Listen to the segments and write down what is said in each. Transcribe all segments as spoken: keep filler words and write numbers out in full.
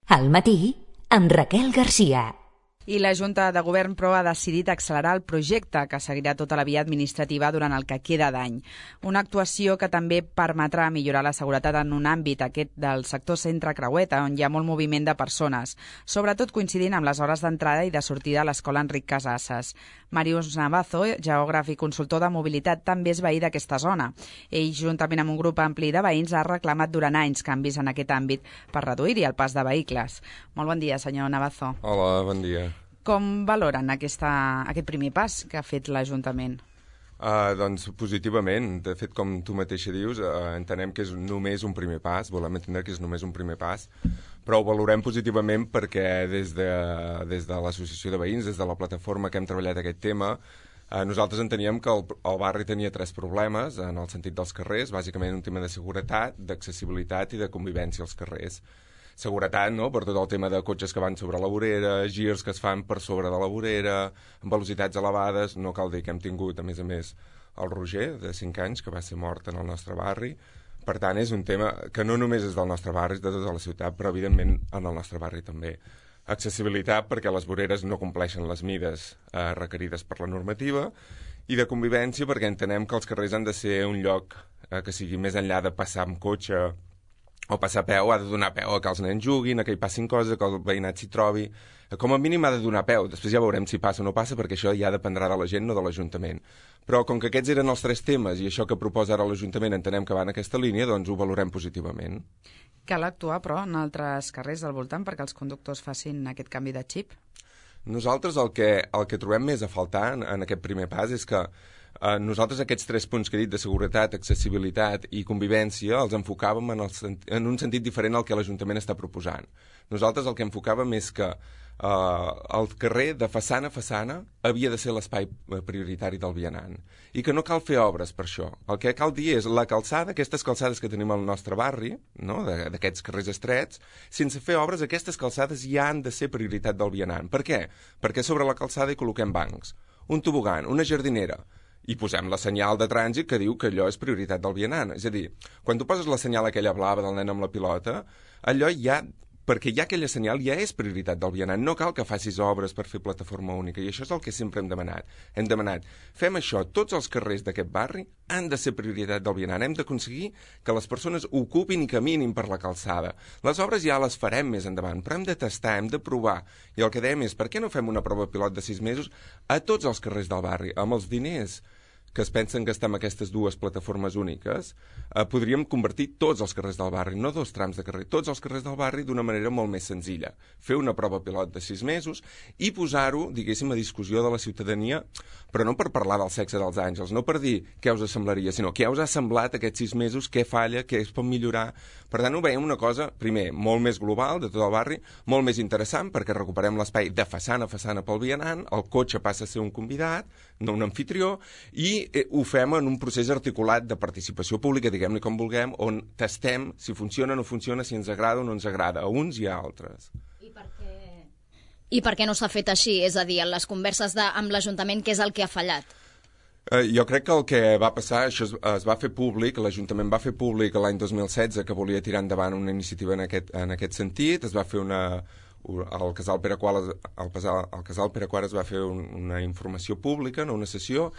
Al matí, amb Raquel Garcia. I la Junta de Govern, però, ha decidit accelerar el projecte que seguirà tota la via administrativa durant el que queda d'any. Una actuació que també permetrà millorar la seguretat en un àmbit, aquest del sector centre Creueta, on hi ha molt moviment de persones, sobretot coincidint amb les hores d'entrada i de sortida a l'escola Enric Casasses. Màrius Navazo, geògraf i consultor de mobilitat, també és veí d'aquesta zona. Ell, juntament amb un grup ampli de veïns, ha reclamat durant anys canvis en aquest àmbit per reduir-hi el pas de vehicles. Molt bon dia, senyor Navazo. Hola, bon dia. Com valoren aquesta, aquest primer pas que ha fet l'Ajuntament? Uh, doncs positivament. De fet, com tu mateixa dius, uh, entenem que és només un primer pas, volem entendre que és només un primer pas, però ho valorem positivament perquè des de, des de l'Associació de Veïns, des de la plataforma que hem treballat aquest tema, uh, nosaltres enteníem que el, el barri tenia tres problemes en el sentit dels carrers, bàsicament un tema de seguretat, d'accessibilitat i de convivència als carrers. Seguretat, no?, per tot el tema de cotxes que van sobre la vorera, girs que es fan per sobre de la vorera, amb velocitats elevades. No cal dir que hem tingut, a més a més, el Roger, de cinc anys, que va ser mort en el nostre barri. Per tant, és un tema que no només és del nostre barri, és de tota la ciutat, però evidentment en el nostre barri també. Accessibilitat, perquè les voreres no compleixen les mides eh, requerides per la normativa, i de convivència, perquè entenem que els carrers han de ser un lloc eh, que sigui més enllà de passar amb cotxe o passar a peu, ha de donar peu a que els nens juguin, a que hi passin coses, que el veïnat s'hi trobi. Com a mínim ha de donar peu. Després ja veurem si passa o no passa, perquè això ja dependrà de la gent, no de l'Ajuntament. Però com que aquests eren els tres temes i això que proposa ara l'Ajuntament entenem que va en aquesta línia, doncs ho valorem positivament. Cal actuar, però, en altres carrers del voltant perquè els conductors facin aquest canvi de xip? Nosaltres el que, el que trobem més a faltar en, en aquest primer pas és que Uh, nosaltres aquests tres punts que he dit de seguretat, accessibilitat i convivència els enfocàvem en, el, en un sentit diferent al que l'Ajuntament està proposant. Nosaltres el que enfocàvem és que uh, el carrer de façana a façana havia de ser l'espai prioritari del vianant i que no cal fer obres per això. El que cal dir és la calçada, aquestes calçades que tenim al nostre barri, no?, d'aquests carrers estrets, sense fer obres, aquestes calçades ja han de ser prioritat del vianant. Per què? Perquè sobre la calçada hi col·loquem bancs, un tobogan, una jardinera, i posem la senyal de trànsit que diu que allò és prioritat del vianant. És a dir, quan tu poses la senyal aquella blava del nen amb la pilota, allò ja, perquè ja aquella senyal ja és prioritat del vianant. No cal que facis obres per fer plataforma única, i això és el que sempre hem demanat. Hem demanat, fem això, tots els carrers d'aquest barri han de ser prioritat del vianant. Hem d'aconseguir que les persones ocupin i caminin per la calçada. Les obres ja les farem més endavant, però hem de tastar, hem de provar. I el que dèiem és, per què no fem una prova pilot de sis mesos a tots els carrers del barri, amb els diners que es pensen gastar en aquestes dues plataformes úniques, eh, podríem convertir tots els carrers del barri, no dos trams de carrer, tots els carrers del barri d'una manera molt més senzilla. Fer una prova pilot de sis mesos i posar-ho, diguéssim, a discussió de la ciutadania, però no per parlar del sexe dels àngels, no per dir què us semblaria, sinó què us ha semblat aquests sis mesos, què falla, què es pot millorar. Per tant, ho veiem una cosa, primer, molt més global de tot el barri, molt més interessant, perquè recuperem l'espai de façana a façana pel vianant, el cotxe passa a ser un convidat, no un anfitrió, i ho fem en un procés articulat de participació pública, diguem-ne com vulguem, on tastem si funciona o no funciona, si ens agrada o no ens agrada, a uns i a altres. I per què, I per què no s'ha fet així? És a dir, en les converses de, amb l'Ajuntament, què és el que ha fallat? Eh, jo crec que el que va passar, això es, es va fer públic, l'Ajuntament va fer públic l'any dos mil setze que volia tirar endavant una iniciativa en aquest, en aquest sentit, es va fer una... El casal Pere Quart, el, el casal Pere Quart es va fer un, una informació pública, no, una sessió,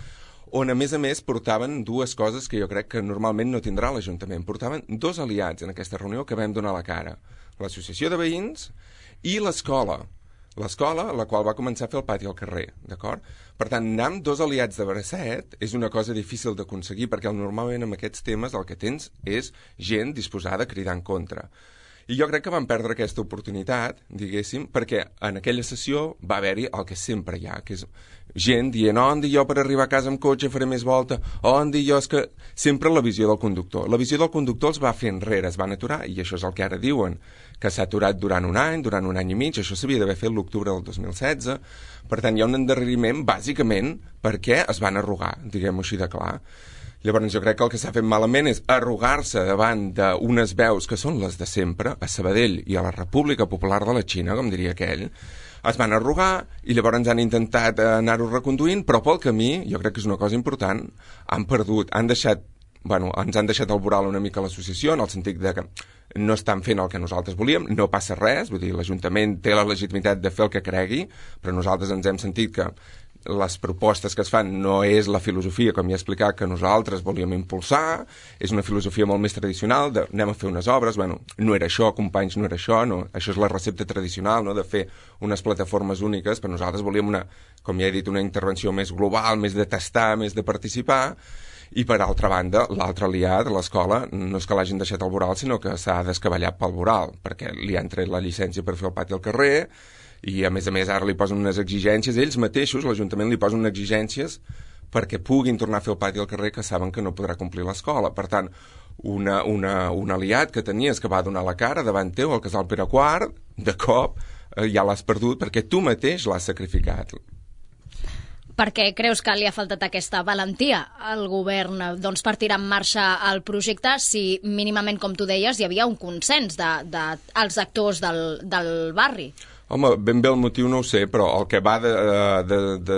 on a més a més portaven dues coses que jo crec que normalment no tindrà l'Ajuntament. Portaven dos aliats en aquesta reunió que vam donar la cara. L'Associació de Veïns i l'escola. L'escola, la qual va començar a fer el pati al carrer, d'acord? Per tant, anar amb dos aliats de bracet és una cosa difícil d'aconseguir, perquè normalment amb aquests temes el que tens és gent disposada a cridar en contra. I jo crec que vam perdre aquesta oportunitat, diguéssim, perquè en aquella sessió va haver-hi el que sempre hi ha, que és gent dient, oh, en dir jo per arribar a casa amb cotxe faré més volta, oh, en dir jo és que... Sempre la visió del conductor. La visió del conductor els va fer enrere, es van aturar, i això és el que ara diuen, que s'ha aturat durant un any, durant un any i mig, això s'havia d'haver fet l'octubre del dos mil setze, per tant hi ha un endarreriment, bàsicament, perquè es van arrugar, diguem-ho així de clar. Llavors jo crec que el que s'ha fet malament és arrugar-se davant d'unes veus que són les de sempre, a Sabadell i a la República Popular de la Xina, com diria aquell, es van arrugar i llavors han intentat anar-ho reconduint, però pel camí, jo crec que és una cosa important, han perdut, han deixat bueno, ens han deixat al voral una mica l'associació, en el sentit de que no estan fent el que nosaltres volíem, no passa res, vull dir, l'Ajuntament té la legitimitat de fer el que cregui, però nosaltres ens hem sentit que les propostes que es fan no és la filosofia, com ja he explicat, que nosaltres volíem impulsar, és una filosofia molt més tradicional, de anem a fer unes obres, bueno, no era això, companys, no era això, no, això és la recepta tradicional, no?, de fer unes plataformes úniques, però nosaltres volíem una, com ja he dit, una intervenció més global, més de tastar, més de participar, i per altra banda, l'altre aliat, l'escola, no és que l'hagin deixat al voral, sinó que s'ha descabellat pel voral, perquè li han tret la llicència per fer el pati al carrer, i a més a més ara li posen unes exigències, ells mateixos, l'Ajuntament li posen unes exigències perquè puguin tornar a fer el pati al carrer que saben que no podrà complir l'escola. Per tant, una, una, un aliat que tenies que va donar la cara davant teu al casal Pere quart, de cop eh, ja l'has perdut perquè tu mateix l'has sacrificat. Per què creus que li ha faltat aquesta valentia al govern doncs, per tirar en marxa el projecte si mínimament, com tu deies, hi havia un consens dels de, de, els actors del, del barri? Home, ben bé el motiu no ho sé, però el que va de, de, de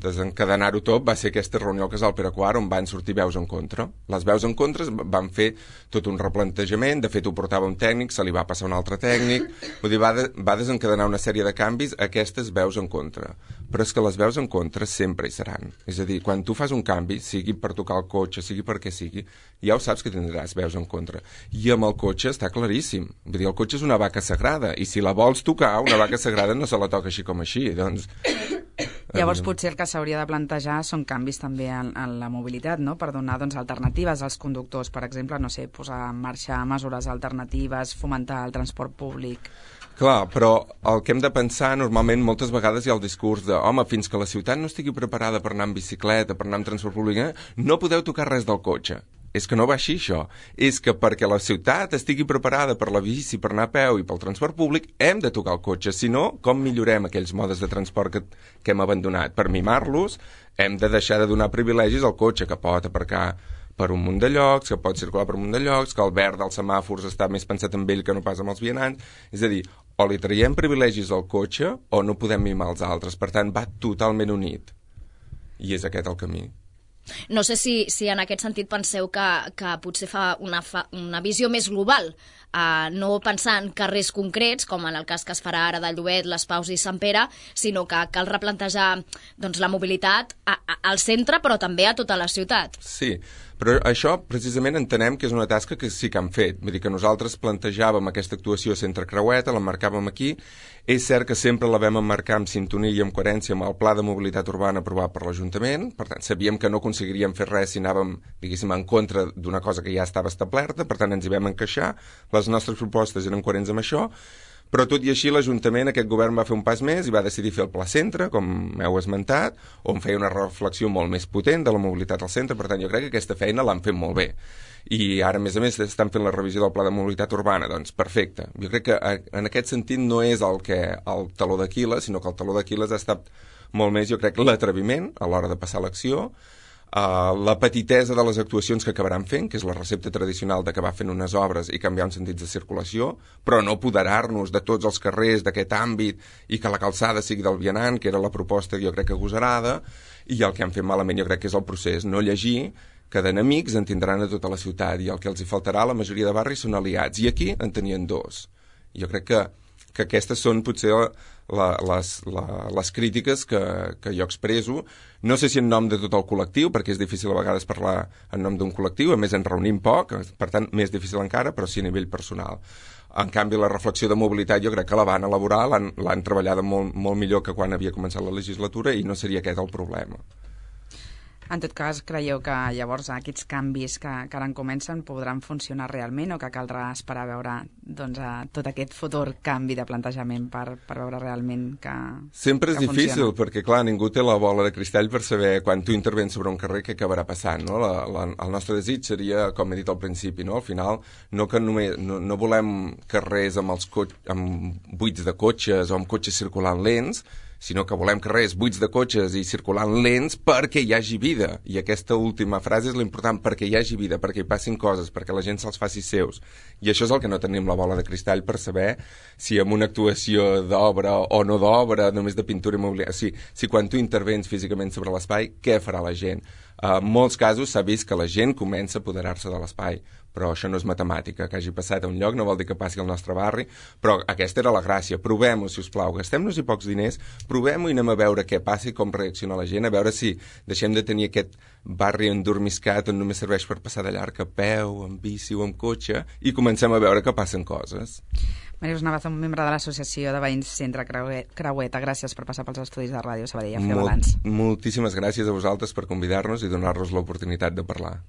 desencadenar-ho tot va ser aquesta reunió al casal Pere quart on van sortir veus en contra. Les veus en contra van fer tot un replantejament, de fet ho portava un tècnic, se li va passar un altre tècnic, vull dir, va, de, va desencadenar una sèrie de canvis a aquestes veus en contra. Però és que les veus en contra sempre hi seran. És a dir, quan tu fas un canvi, sigui per tocar el cotxe, sigui per què sigui, ja ho saps que tindràs veus en contra. I amb el cotxe està claríssim. Vull dir, el cotxe és una vaca sagrada, i si la vols tocar, una vaca sagrada no se la toca així com així, doncs... Llavors potser el que s'hauria de plantejar són canvis també en, en la mobilitat, no?, per donar doncs, alternatives als conductors, per exemple, no sé, posar en marxa mesures alternatives, fomentar el transport públic... Clar, però el que hem de pensar, normalment, moltes vegades hi ha el discurs de home, fins que la ciutat no estigui preparada per anar en bicicleta, per anar en transport públic, eh, no podeu tocar res del cotxe. És que no va així, això. És que perquè la ciutat estigui preparada per la bici, per anar a peu i pel transport públic, hem de tocar el cotxe. Si no, com millorem aquells modes de transport que, que hem abandonat? Per mimar-los, hem de deixar de donar privilegis al cotxe, que pot aparcar per un munt de llocs, que pot circular per un munt de llocs, que el verd dels semàfors està més pensat en ell que no pas amb els vianants. És a dir, o li traiem privilegis al cotxe o no podem mimar els altres. Per tant, va totalment unit. I és aquest el camí. No sé si, si en aquest sentit penseu que, que potser fa una, fa una visió més global, uh, no pensar en carrers concrets, com en el cas que es farà ara de Llobet, Les Paus i Sant Pere, sinó que cal replantejar doncs, la mobilitat a, a, al centre, però també a tota la ciutat. Sí, però això precisament entenem que és una tasca que sí que han fet. Vull dir que nosaltres plantejàvem aquesta actuació a Centre Creueta, l'emmarcàvem aquí. És cert que sempre la vam emmarcar en sintonia i en coherència amb el Pla de Mobilitat Urbana aprovat per l'Ajuntament. Per tant, sabíem que no aconseguiríem fer res si anàvem, diguéssim, en contra d'una cosa que ja estava establerta. Per tant, ens hi vam encaixar. Les nostres propostes eren coherents amb això. Però tot i així l'Ajuntament, aquest govern va fer un pas més i va decidir fer el Pla Centre, com heu esmentat, on feia una reflexió molt més potent de la mobilitat al centre. Per tant, jo crec que aquesta feina l'han fet molt bé. I ara, a més a més, estan fent la revisió del Pla de Mobilitat Urbana. Doncs perfecte. Jo crec que en aquest sentit no és el, que, el taló d'Aquil·les, sinó que el taló d'Aquil·les ha estat molt més, jo crec, l'atreviment a l'hora de passar l'acció, Uh, la petitesa de les actuacions que acabaran fent, que és la recepta tradicional d'acabar fent unes obres i canviar uns sentits de circulació, però no apoderar-nos de tots els carrers d'aquest àmbit i que la calçada sigui del vianant, que era la proposta jo crec que agosarada, i el que han fet malament jo crec que és el procés, no llegir que d'enemics en tindran a tota la ciutat i el que els hi faltarà a la majoria de barris són aliats, i aquí en tenien dos. Jo crec que, que aquestes són potser la, les, la, les crítiques que, que jo expreso. No sé si en nom de tot el col·lectiu, perquè és difícil a vegades parlar en nom d'un col·lectiu, a més ens reunim poc, per tant més difícil encara, però sí a nivell personal. En canvi, la reflexió de mobilitat jo crec que la van elaborar, l'han treballada molt, molt millor que quan havia començat la legislatura i no seria aquest el problema. En tot cas, creieu que llavors aquests canvis que, que ara en comencen podran funcionar realment o que caldrà esperar a veure doncs, a tot aquest futur canvi de plantejament per, per veure realment que Sempre és que difícil, funciona? Perquè clar, ningú té la bola de cristall per saber quan tu intervens sobre un carrer què acabarà passant. No? La, la, el nostre desig seria, com he dit al principi, no? Al final no, que només, no, no volem carrers amb, els amb buits de cotxes o amb cotxes circulant lents, sinó que volem carrers buits de cotxes i circulant lents perquè hi hagi vida. I aquesta última frase és l'important, perquè hi hagi vida, perquè hi passin coses, perquè la gent se'ls faci seus. I això és el que no tenim la bola de cristall per saber si amb una actuació d'obra o no d'obra, només de pintura immobiliària, si, si quan tu intervens físicament sobre l'espai, què farà la gent? En molts casos s'ha vist que la gent comença a apoderar-se de l'espai, però això no és matemàtica, que hagi passat a un lloc no vol dir que passi al nostre barri, però aquesta era la gràcia. Provem-ho, si us plau, gastem-nos-hi pocs diners, provem-ho i anem a veure què passa i com reacciona la gent, a veure si deixem de tenir aquest barri endormiscat on només serveix per passar de llarg a peu, amb bici o amb cotxe, i comencem a veure que passen coses. Màrius Navaz, un membre de l'Associació de Veïns Centre Creueta, gràcies per passar pels estudis de Ràdio Sabadell a fer balanç. Moltíssimes gràcies a vosaltres per convidar-nos i donar-nos l'oportunitat de parlar.